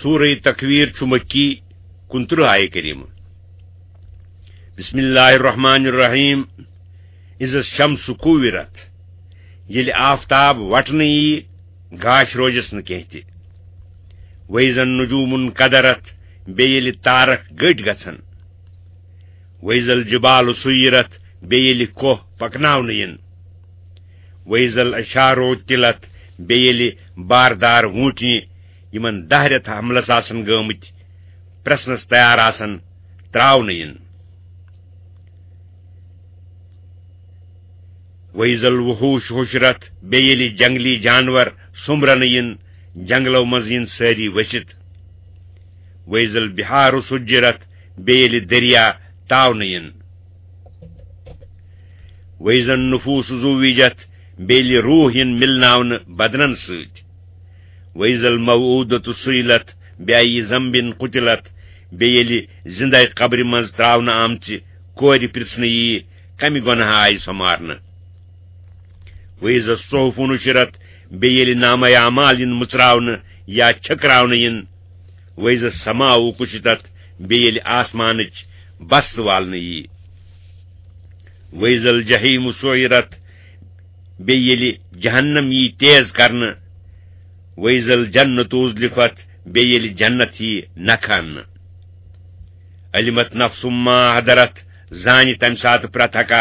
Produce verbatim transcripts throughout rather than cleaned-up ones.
سورہ تکویر چھُ مکی، کُنترٕہ آیہِ کریمہ۔ بسم اللہ الرحمن الرحیم۔ اذا الشمس کورت، ییٚلہِ آفتاب وٹنہٕ یی، گاش روزٮ۪س نہٕ کینٛہہ تہِ۔ واذا النجوم انکدرت، بیٚیہِ ییٚلہِ تارک گٔٹۍ گژھن۔ واذا الجبال سیرت، بیٚیہِ ییٚلہِ کوہ پکناونہٕ یِن۔ واذا العشار عطلت، بیٚیہِ ییٚلہِ باردار ووٗنٛٹنہِ، یِمن دَہ رٮ۪تھ حملس آسن گٲمٕتۍ، پرٛژھنس تیار آسن، ترٛاونہٕ یِن۔ واذا الوحوش حشرت، بیٚیہِ ییٚلہِ جنگلی جانور سوٚمبرنہٕ یِن، جنگلو منٛز یِن سٲری ؤسِتھ۔ واذا البحار سجرت، بیٚیہِ ییٚلہِ دریا تاونہٕ یِن۔ واذا النفوس زوجت، بیٚیہِ ییٚلہِ روح یِن مِلناونہٕ بدنن سۭتۍ۔ واذا الموءودة سئلت، بأي ذنب قتلت، بیٚیہِ ییٚلہِ زِندَے قبرِ منٛز ترٛاونہٕ آمژِ کورِ پرٛژھنہٕ ییہِ، کمہِ گۄناہ آیہِ سۄ مارنہٕ۔ واذا الصحف نشرت، بیٚیہِ ییٚلہِ نامہ اعمال یِن مُژراونہٕ یا چھٔکراونہٕ یِن۔ واذا السماء کشطت، بیٚیہِ ییٚلہِ آسمانٕچ بست والنہٕ ییہِ۔ واذا الجحیم سعرت، بیٚیہِ ییٚلہِ جہنم ییہِ تیز کرنہٕ۔ واذا الجنة ازلفت، بیٚیہِ ییٚلہِ جنت ییہِ نکھٕ اننہٕ۔ علمت نفس ما حضرت، زانہِ تمہِ ساتہٕ پرٛتھ اکھ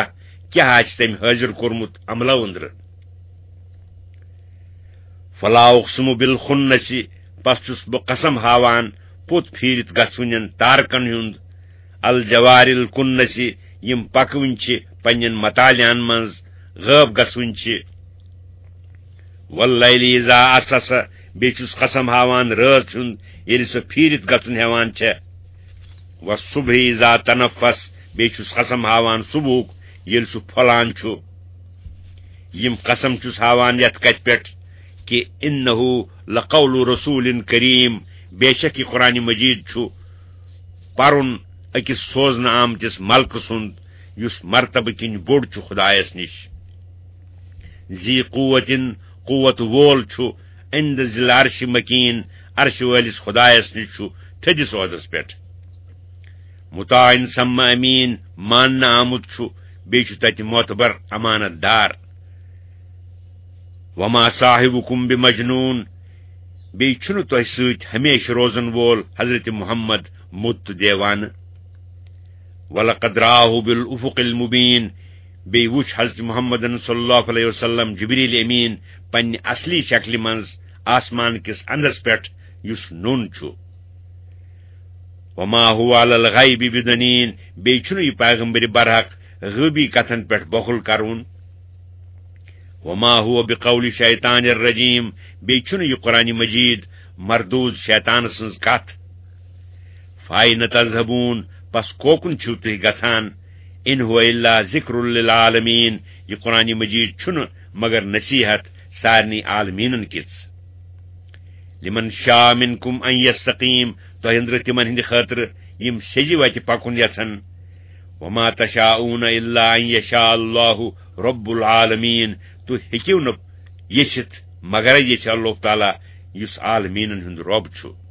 کیٛاہ آسہِ تٔمۍ حٲضِر کوٚرمُت عملو أنٛدرٕ۔ فلا اقسم بالخنس، پس چھُس بہٕ قسم ہاوان پوٚت پھیٖرِتھ گژھوٕنٮ۪ن تارکن ہُنٛد، الجوار الکنس، یِم پکوٕنۍ چھِ پننٮ۪ن مطالعن منٛز، غٲب گژھوٕنۍ چھِ۔ واللیل اذا عسعس، بیٚیہِ چھُس قسم ہاوان رٲژ ہُنٛد، ییٚلہِ سۄ پھیٖرِتھ گژھُن ہٮ۪وان چھےٚ۔ والصبح اذا تنفس، بیٚیہِ چھُس قسم ہاوان صبحُک، ییٚلہِ سُہ پھۄلان چھُ۔ یِم قسم چھُس ہاوان یتھ کتھِ پٮ۪ٹھ کہِ انہ لقول رسول کریم، بے شک یہِ قرآن مجید چھُ پرُن أکِس سوزنہٕ آمتِس ملکہٕ سُنٛد، یُس مرتبہٕ کِنۍ بوٚڑ چھُ خدایس نِش۔ ذی قوتن، قوت وول چھُ، عند ذی العرش مکین، عرش وٲلِس خدایس نِش چھُ تھٔدِس عہدس پٮ۪ٹھ۔ مطاع ثم امین، ماننہٕ آمُت چھُ، بیٚیہِ چھُ تتہِ معتبر امانت دار۔ وما صاحبکم بمجنون، بیٚیہِ چھُنہٕ تۄہہِ سۭتۍ ہمیشہٕ روزن وول حضرت محمد مُت تہٕ دیوانہٕ۔ ولقد رآه بالافق المبین، بیٚیہِ وُچھ حضرت محمدن صلی اللہ علیہ وسلم جبریل امین پننہِ اصلی شکلہِ منٛز آسمان کِس اندس پٮ۪ٹھ، یُس نوٚن چھُ۔ وما هو علی الغیب بضنین، بیٚیہِ چھُنہٕ یہِ پیغمبر برحق غٲبی کتھن پٮ۪ٹھ بخل کرُن۔ وما هو بقول شیطان الرجیم، بیٚیہِ چھُنہٕ یہِ قرآن مجید مردود شیطان سٕنٛز کتھ۔ فاین تذهبون، پس کوکُن چھِو تُہۍ گژھان؟ ان هو الا ذکر للعالمین، یہِ قرآن مجید چھُنہٕ مگر نصیحت سارنٕے عالمیٖنن کِژھ۔ لمن شاء منکم ان یستقیم، تۄہہِ أنٛدرٕ تِمن ہٕنٛدِ خٲطرٕ یِم سیٚزِ وتہِ پکُن یژھن۔ وما تشاءون الا ان یشاء اللہ رب العالمین، تُہۍ ہیٚکِو نہٕ یژھِتھ مگرے یژھِ اللہ تعالیٰ، یُس عالمیٖنن ہُنٛد رب چھُ۔